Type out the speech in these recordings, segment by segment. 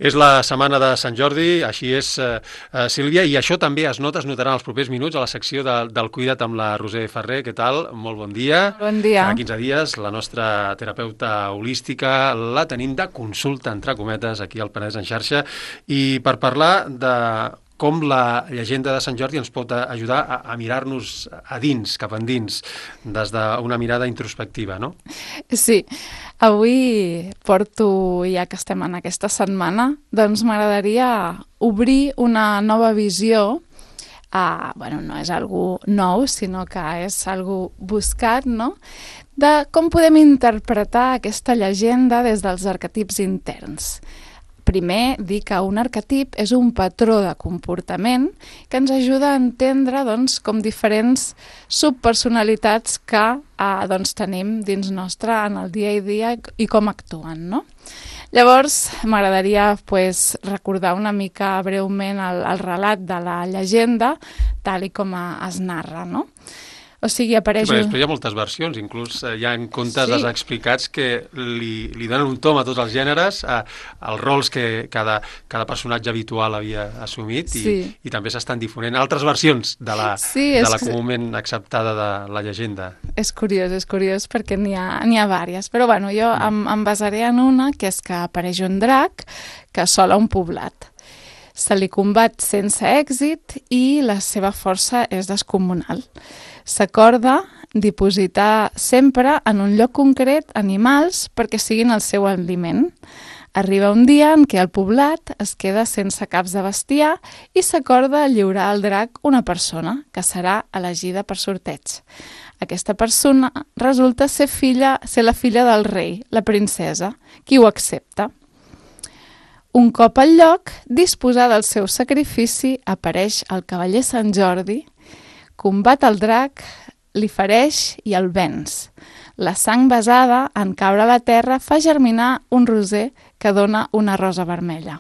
És la setmana de Sant Jordi, així és, Sílvia, i això també es notarà en els propers minuts a la secció del Cuida't amb la Roser Ferrer. Què tal? Molt bon dia. Molt bon dia. Cada 15 dies la nostra terapeuta holística la tenim de consulta, entre cometes, aquí al Penedès en xarxa, i per parlar de com la llegenda de Sant Jordi ens pot ajudar a mirar-nos a dins, cap endins, des d'una mirada introspectiva, no? Sí, avui porto, ja que estem en aquesta setmana, doncs m'agradaria obrir una nova visió. No és algo nou, sinó que és algo buscat, no?, de com podem interpretar aquesta llegenda des dels arquetips interns. Primer, dir que un arquetip és un patró de comportament que ens ajuda a entendre doncs, com diferents subpersonalitats que tenim dins nostre en el dia a dia i com actuen, no? Llavors, m'agradaria recordar una mica breument el relat de la llegenda, tal i com es narra, no? O sigui, apareix... Sí, però després hi ha moltes versions, inclús hi ha contes explicats que li donen un tom a tots els gèneres, als rols que cada personatge habitual havia assumit, i també s'estan difonent altres versions de la comúment acceptada de la llegenda. És curiós perquè n'hi ha vàries, però bueno, jo em basaré en una, que és que apareix un drac que assola un poblat. Se li combat sense èxit i la seva força és descomunal. S'acorda dipositar sempre en un lloc concret animals perquè siguin el seu aliment. Arriba un dia en què el poblat es queda sense caps de bestiar i s'acorda lliurar al drac una persona que serà elegida per sorteig. Aquesta persona resulta ser la filla del rei, la princesa, qui ho accepta. Un cop al lloc, disposat del seu sacrifici, apareix el cavaller Sant Jordi, combat el drac, li fereix i el venç. La sang basada en caure a la terra fa germinar un roser que dona una rosa vermella.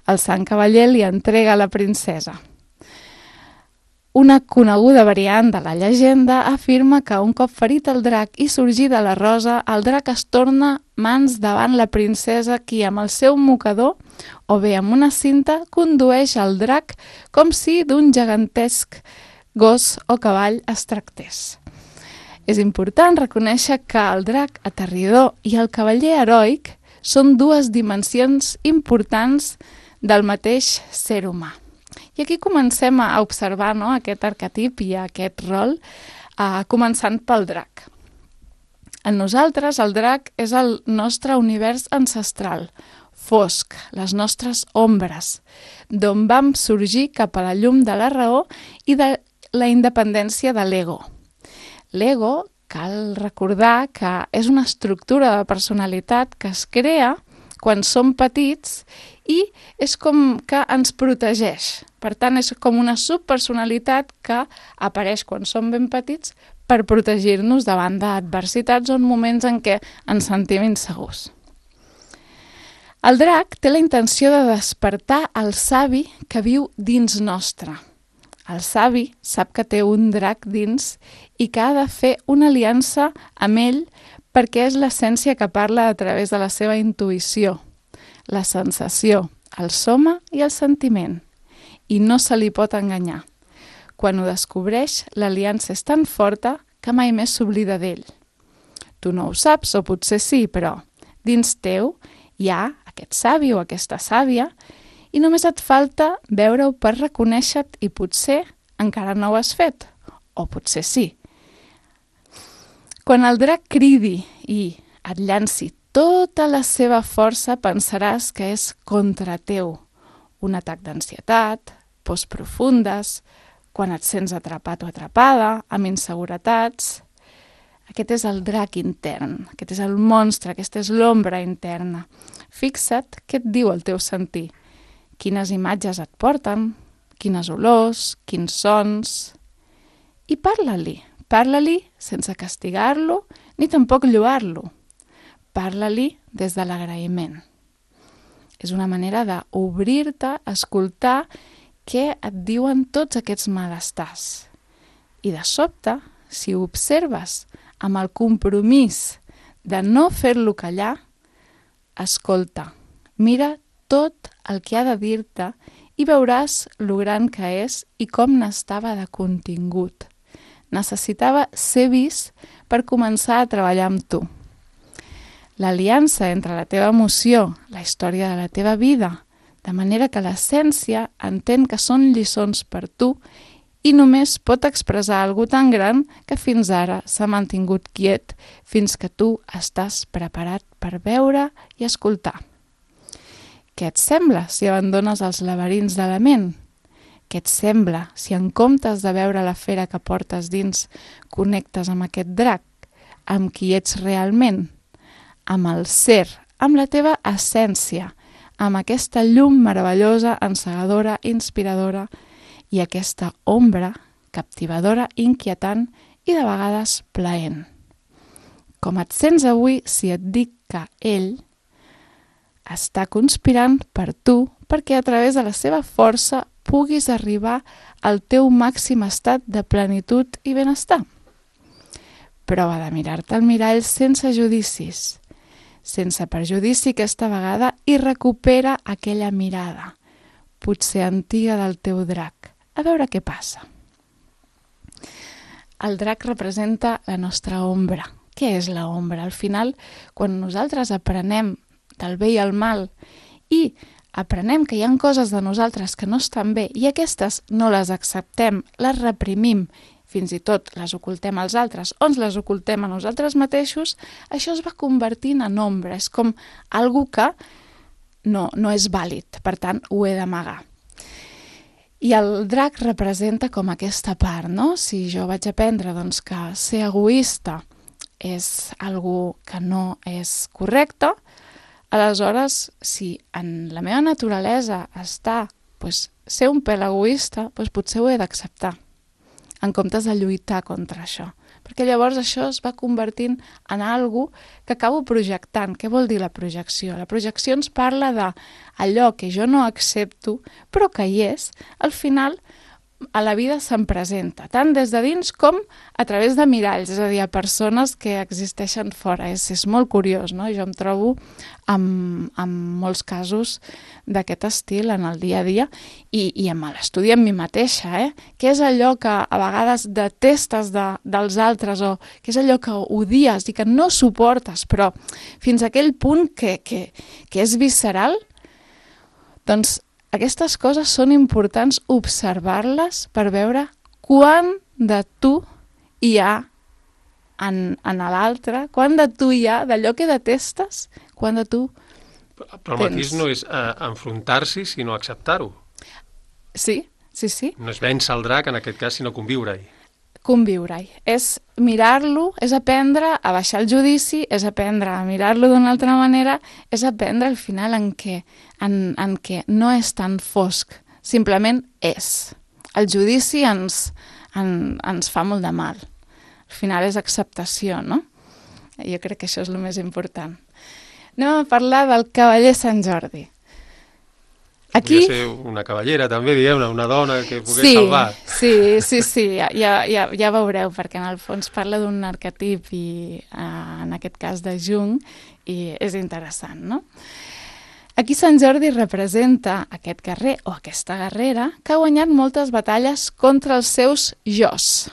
El Sant Cavaller li entrega a la princesa. Una coneguda variant de la llegenda afirma que un cop ferit el drac i sorgida la rosa, el drac es torna mans davant la princesa qui amb el seu mocador o bé amb una cinta condueix el drac com si d'un gegantesc gos o cavall es tractés. És important reconèixer que el drac aterridor i el cavaller heroic són dues dimensions importants del mateix ser humà. I aquí comencem a observar, no?, aquest arquetip i aquest rol, començant pel drac. En nosaltres, el drac és el nostre univers ancestral, fosc, les nostres ombres, d'on vam sorgir cap a la llum de la raó i de la independència de l'ego. L'ego, cal recordar que és una estructura de personalitat que es crea quan som petits i és com que ens protegeix. Per tant, és com una subpersonalitat que apareix quan som ben petits per protegir-nos davant d'adversitats o en moments en què ens sentim insegurs. El drac té la intenció de despertar el savi que viu dins nostre. El savi sap que té un drac dins i que ha de fer una aliança amb ell perquè és l'essència que parla a través de la seva intuïció, la sensació, el soma i el sentiment. I no se li pot enganyar. Quan ho descobreix, l'aliança és tan forta que mai més s'oblida d'ell. Tu no ho saps, o potser sí, però dins teu hi ha aquest savi o aquesta sàvia i només et falta veure-ho per reconèixer-te i potser encara no ho has fet, o potser sí. Quan el drac cridi i et llanci tota la seva força, pensaràs que és contra teu. Un atac d'ansietat, pors profundes, quan et sents atrapat o atrapada, amb inseguretats. Aquest és el drac intern, aquest és el monstre, aquesta és l'ombra interna. Fixa't què et diu el teu sentir. Quines imatges et porten, quines olors, quins sons... I parla-li sense castigar-lo ni tampoc lloar-lo. Parla-li des de l'agraïment. És una manera d'obrir-te, escoltar què et diuen tots aquests malestars. I de sobte, si ho observes amb el compromís de no fer-lo callar, escolta, mira tot el que ha de dir-te i veuràs lo gran que és i com n'estava de contingut. Necessitava ser vist per començar a treballar amb tu. L'aliança entre la teva emoció, la història de la teva vida, de manera que l'essència entén que són lliçons per tu i només pot expressar algo tan gran que fins ara s'ha mantingut quiet fins que tu estàs preparat per veure i escoltar. Què et sembla si abandones els laberints de la ment? Què et sembla si en comptes de veure la fera que portes dins connectes amb aquest drac, amb qui ets realment, amb el ser, amb la teva essència, amb aquesta llum meravellosa, encegadora, inspiradora i aquesta ombra captivadora, inquietant i de vegades plaent. Com et sents avui si et dic que ell està conspirant per tu perquè a través de la seva força puguis arribar al teu màxim estat de plenitud i benestar? Prova de mirar-te al mirall sense judicis, sense perjudici aquesta vegada, i recupera aquella mirada, potser antiga del teu drac. A veure què passa. El drac representa la nostra ombra. Què és la ombra? Al final, quan nosaltres aprenem del bé i el mal i aprenem que hi ha coses de nosaltres que no estan bé i aquestes no les acceptem, les reprimim, fins i tot les ocultem als altres o ens les ocultem a nosaltres mateixos, això es va convertint en ombra. És com algo que no és vàlid, per tant ho he d'amagar. I el drac representa com aquesta part, no? Si jo vaig aprendre doncs, que ser egoista és algo que no és correcte, aleshores, si en la meva naturalesa està ser un pèl egoista, potser ho he d'acceptar, en comptes de lluitar contra això. Perquè llavors això es va convertint en algo que acabo projectant. Què vol dir la projecció? La projecció ens parla d'allò que jo no accepto, però que hi és, al final a la vida se'n presenta, tant des de dins com a través de miralls, és a dir, a persones que existeixen fora. És molt curiós, no? Jo em trobo amb molts casos d'aquest estil en el dia a dia i amb l'estudi amb mi mateixa, Què és allò que a vegades detestes dels altres o què és allò que odies i que no suportes, però fins a aquell punt que és visceral? Doncs aquestes coses són importants observar-les per veure quant de tu hi ha en l'altre, quant de tu hi ha d'allò que detestes, quant de tu Però el matís no és enfrontar-s'hi, sinó acceptar-ho. Sí. No és vèncer el drac, en aquest cas, sinó conviure-hi. Conviure-hi. És mirar-lo, és aprendre a baixar el judici, és aprendre a mirar-lo d'una altra manera, és aprendre al final en què no és tan fosc, simplement és. El judici ens fa molt de mal. Al final és acceptació, no? Jo crec que això és el més important. Anem a parlar del cavaller Sant Jordi. Aquí... Podria ser una cavallera, també, diguem-ne, una dona que pogués salvar. Sí, ja veureu, perquè en el fons parla d'un arquetip, i en aquest cas de Jung, i és interessant, no? Aquí Sant Jordi representa aquest guerrer o aquesta guerrera que ha guanyat moltes batalles contra els seus jos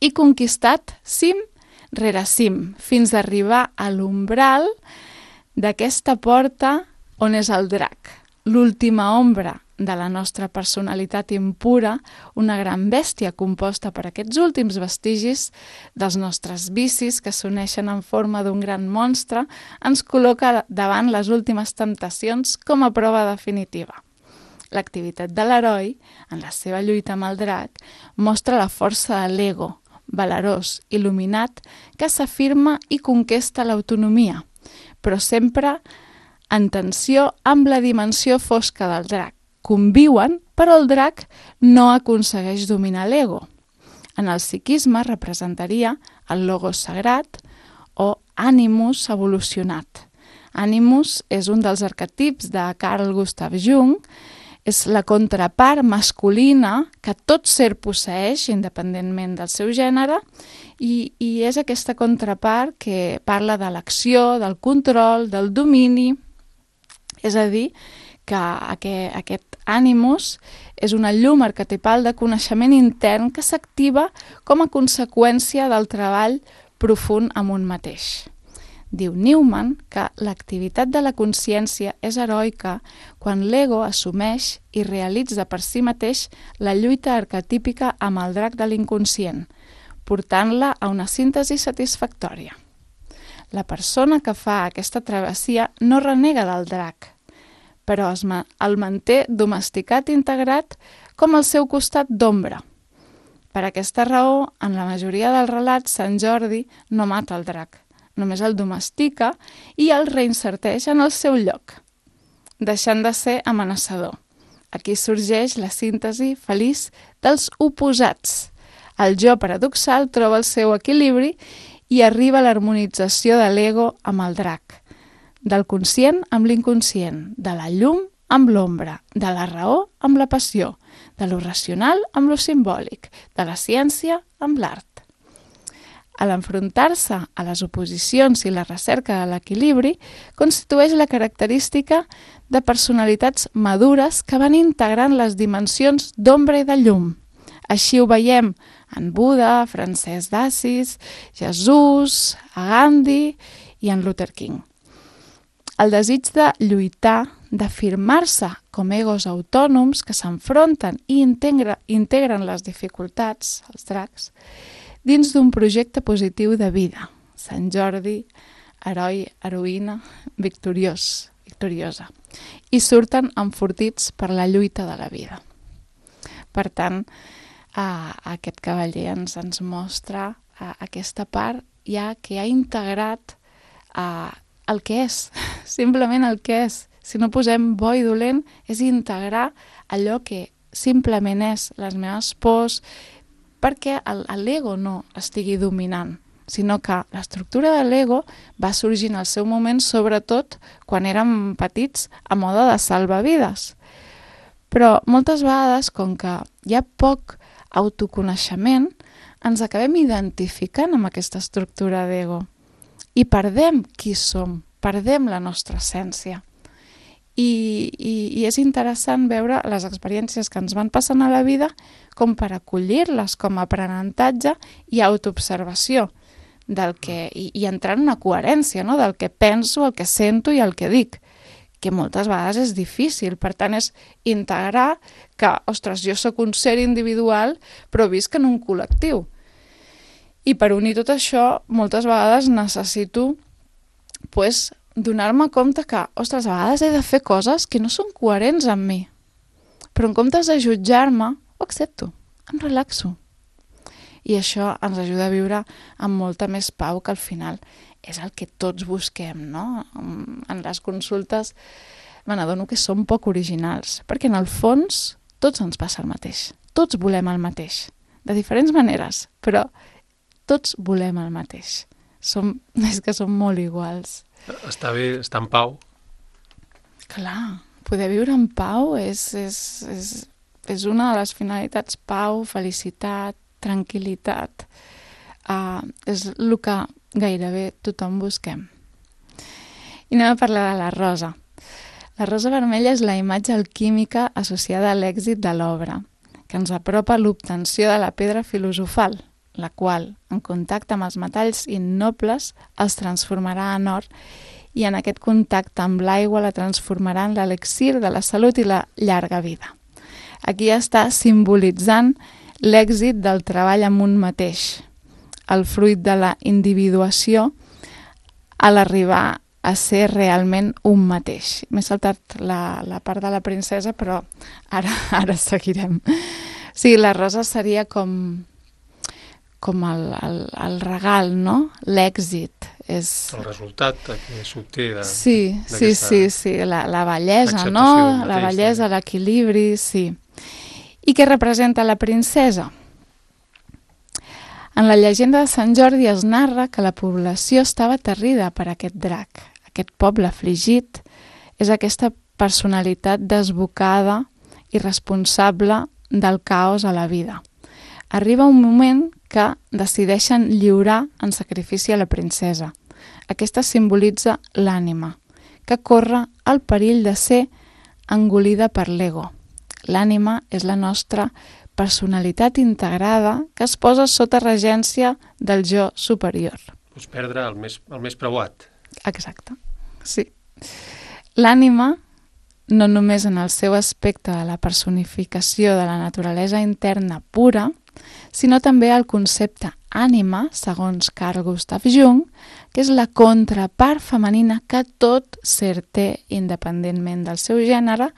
i conquistat cim rere cim, fins a arribar a l'umbral d'aquesta porta on és el drac, l'última ombra de la nostra personalitat impura, una gran bèstia composta per aquests últims vestigis dels nostres vicis que s'uneixen en forma d'un gran monstre, ens col·loca davant les últimes temptacions com a prova definitiva. L'activitat de l'heroi, en la seva lluita amb el drac, mostra la força de l'ego, valerós, il·luminat, que s'afirma i conquesta l'autonomia, però sempre en tensió amb la dimensió fosca del drac. Conviuen, però el drac no aconsegueix dominar l'ego. En el psiquisme representaria el logos sagrat o ànimus evolucionat. Ànimus és un dels arquetips de Carl Gustav Jung, és la contrapart masculina que tot ser posseeix, independentment del seu gènere, i és aquesta contrapart que parla de l'acció, del control, del domini, És a dir, que aquest ànimus és una llum arquetipal de coneixement intern que s'activa com a conseqüència del treball profund amb un mateix. Diu Newman que l'activitat de la consciència és heroica quan l'ego assumeix i realitza per si mateix la lluita arquetípica amb el drac de l'inconscient, portant-la a una síntesi satisfactòria. La persona que fa aquesta travessia no renega del drac, però el manté domesticat i integrat com el seu costat d'ombra. Per aquesta raó, en la majoria dels relats, Sant Jordi no mata el drac, només el domestica i el reinserteix en el seu lloc, deixant de ser amenaçador. Aquí sorgeix la síntesi feliç dels oposats. El jo paradoxal troba el seu equilibri i arriba a l'harmonització de l'ego amb el drac, del conscient amb l'inconscient, de la llum amb l'ombra, de la raó amb la passió, de lo racional amb lo simbòlic, de la ciència amb l'art. A l'enfrontar-se a les oposicions i la recerca de l'equilibri, constitueix la característica de personalitats madures que van integrant les dimensions d'ombra i de llum. Així ho veiem en Buda, Francesc d'Assís, Jesús, a Gandhi i en Luther King. El desig de lluitar, d'afirmar-se com egos autònoms que s'enfronten i integren les dificultats, els dracs, dins d'un projecte positiu de vida. Sant Jordi, heroi, heroïna, victoriosa. I surten enfortits per la lluita de la vida. Per tant, aquest cavaller ens mostra aquesta part ja que ha integrat el que és, simplement el que és. Si no posem bo i dolent, és integrar allò que simplement és, les meves pors, perquè l'ego no estigui dominant, sinó que l'estructura de l'ego va sorgir en el seu moment, sobretot quan érem petits, a mode de salvavides. Però moltes vegades, com que hi ha poc autoconeixement, ens acabem identificant amb aquesta estructura d'ego i perdem qui som, perdem la nostra essència. I és interessant veure les experiències que ens van passant a la vida com per acollir-les com a aprenentatge i autoobservació i entrar en una coherència, no? Del que penso, el que sento i el que dic, que moltes vegades és difícil. Per tant, és integrar que, ostres, jo sóc un ser individual però visc en un col·lectiu. I per unir tot això, moltes vegades necessito donar-me compte que, ostres, a vegades he de fer coses que no són coherents amb mi. Però en comptes de jutjar-me, ho accepto, em relaxo. I això ens ajuda a viure amb molta més pau, que al final és el que tots busquem, no? En les consultes me n'adono que som poc originals, perquè en el fons tots ens passa el mateix. Tots volem el mateix, de diferents maneres, però tots volem el mateix. És que som molt iguals. Està bé, estar en pau. Clar, poder viure en pau és una de les finalitats. Pau, felicitat, tranquil·litat. És el que gairebé tothom busquem. I anem a parlar de la rosa. La rosa vermella és la imatge alquímica associada a l'èxit de l'obra, que ens apropa a l'obtenció de la pedra filosofal, la qual, en contacte amb els metalls innobles, els transformarà en or i en aquest contacte amb l'aigua la transformarà en l'elixir de la salut i la llarga vida. Aquí està simbolitzant l'èxit del treball amb un mateix, el fruit de la individuació a l'arribar a ser realment un mateix. M'he saltat la part de la princesa, però ara seguirem. Sí, la rosa seria com el regal, no? L'èxit. És... el resultat que s'obté Sí, la bellesa, no? La bellesa, l'equilibri, sí. I què representa la princesa? En la llegenda de Sant Jordi es narra que la població estava aterrida per aquest drac. Aquest poble afligit és aquesta personalitat desbocada i responsable del caos a la vida. Arriba un moment que decideixen lliurar en sacrifici a la princesa. Aquesta simbolitza l'ànima, que corre el perill de ser engolida per l'ego. L'ànima és la nostra personalitat integrada que es posa sota regència del jo superior. Pues perdre el més preuat. Exacte, sí. L'ànima, no només en el seu aspecte de la personificació de la naturalesa interna pura, sinó també el concepte ànima, segons Carl Gustav Jung, que és la contrapart femenina que tot ser té independentment del seu gènere,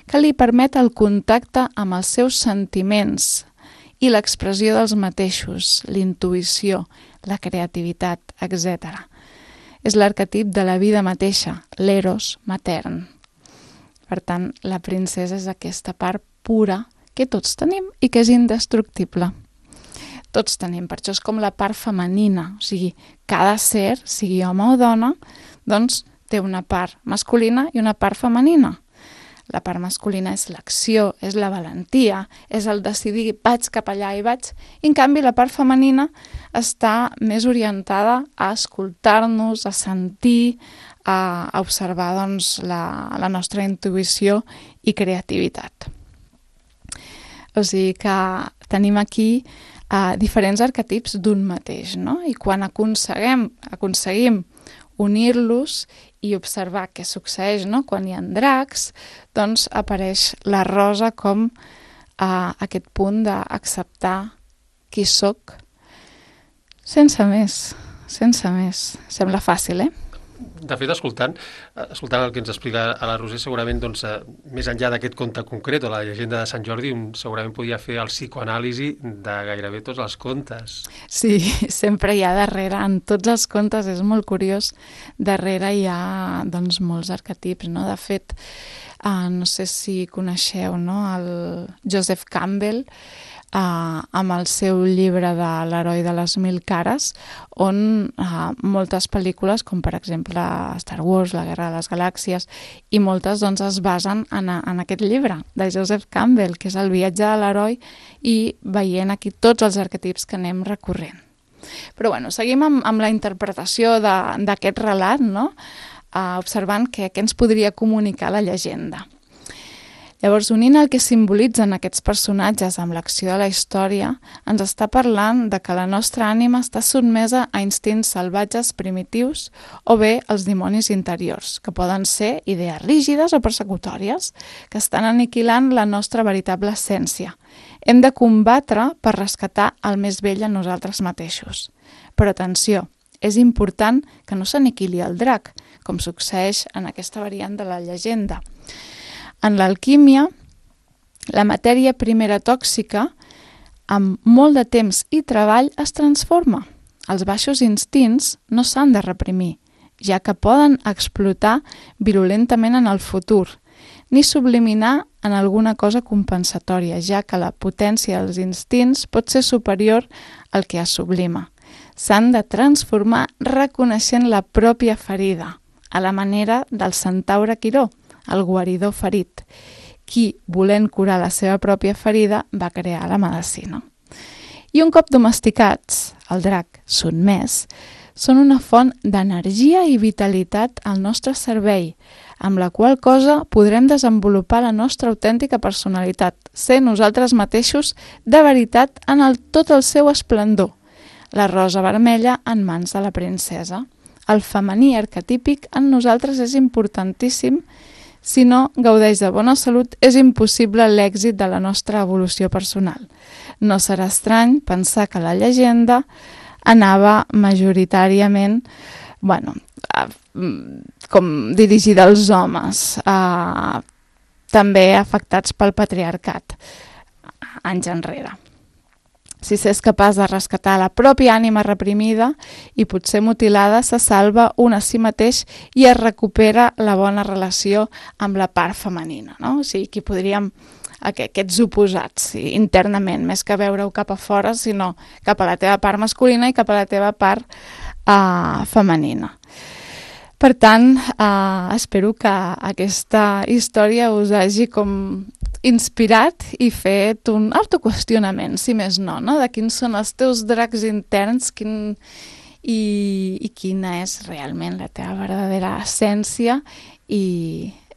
que li permet el contacte amb els seus sentiments i l'expressió dels mateixos, l'intuïció, la creativitat, etc. És l'arquetip de la vida mateixa, l'eros matern. Per tant, la princesa és aquesta part pura que tots tenim i que és indestructible. Tots tenim, per això és com la part femenina, o sigui, cada ser, sigui home o dona, doncs té una part masculina i una part femenina. La part masculina és l'acció, és la valentia, és el decidir vaig cap allà i vaig, i en canvi la part femenina està més orientada a escoltar-nos, a sentir, a observar doncs, la nostra intuïció i creativitat. O sigui que tenim aquí diferents arquetips d'un mateix, no? I quan aconseguim unir-los i observar què succeeix, no? Quan hi ha dracs, doncs apareix la rosa com aquest punt d'acceptar qui sóc sense més. Sembla fàcil, De fet, escoltant el que ens explica a la Roser, segurament, doncs, més enllà d'aquest conte concret o la llegenda de Sant Jordi, segurament podia fer el psicoanàlisi de gairebé tots els contes. Sí, sempre hi ha darrere, en tots els contes, és molt curiós, darrere hi ha doncs, molts arquetips, no? De fet, no sé si coneixeu, no? El Joseph Campbell, amb el seu llibre de l'heroi de les 1000 cares, on moltes pel·lícules, com per exemple Star Wars, la Guerra de les Galàxies, i moltes doncs, es basen en aquest llibre de Joseph Campbell, que és el viatge de l'heroi, i veient aquí tots els arquetips que anem recorrent. Però bueno, seguim amb la interpretació d'aquest relat, no? Observant què ens podria comunicar la llegenda. Llavors, unint el que simbolitzen aquests personatges amb l'acció de la història, ens està parlant de que la nostra ànima està sotmesa a instints salvatges primitius o bé els dimonis interiors, que poden ser idees rígides o persecutòries, que estan aniquilant la nostra veritable essència. Hem de combatre per rescatar el més vell en nosaltres mateixos. Però atenció, és important que no s'aniquili el drac, com succeeix en aquesta variant de la llegenda. En l'alquímia, la matèria primera tòxica, amb molt de temps i treball, es transforma. Els baixos instints no s'han de reprimir, ja que poden explotar virulentament en el futur, ni subliminar en alguna cosa compensatòria, ja que la potència dels instints pot ser superior al que es sublima. S'han de transformar reconeixent la pròpia ferida, a la manera del centaure Quiró, el guaridor ferit, qui, volent curar la seva pròpia ferida, va crear la medicina. I un cop domesticats, el drac sotmès, són una font d'energia i vitalitat al nostre servei, amb la qual cosa podrem desenvolupar la nostra autèntica personalitat, ser nosaltres mateixos de veritat en tot el seu esplendor. La rosa vermella en mans de la princesa. El femení arquetípic en nosaltres és importantíssim. Si no gaudeix de bona salut, és impossible l'èxit de la nostra evolució personal. No serà estrany pensar que la llegenda anava majoritàriament, com dirigida als homes, també afectats pel patriarcat, anys enrere. Si s'és capaç de rescatar la pròpia ànima reprimida i potser mutilada, se salva un a si mateix i es recupera la bona relació amb la part femenina, no? O sigui, aquí podríem aquests oposats internament, més que veure-ho cap a fora, sinó cap a la teva part masculina i cap a la teva part femenina. Per tant, espero que aquesta història us hagi com inspirat i fet un autoqüestionament, si més no, de quins són els teus dracs interns i quina és realment la teva verdadera essència i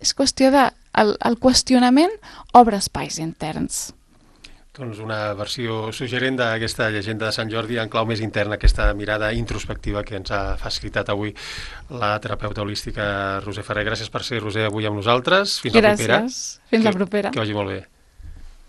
és qüestió de... El qüestionament obre espais interns. Doncs una versió suggerent d'aquesta llegenda de Sant Jordi en clau més interna, aquesta mirada introspectiva que ens ha facilitat avui la terapeuta holística Roser Ferrer. Gràcies per ser, Roser, avui amb nosaltres. Fins la propera. Gràcies. Fins la propera. Que vagi molt bé.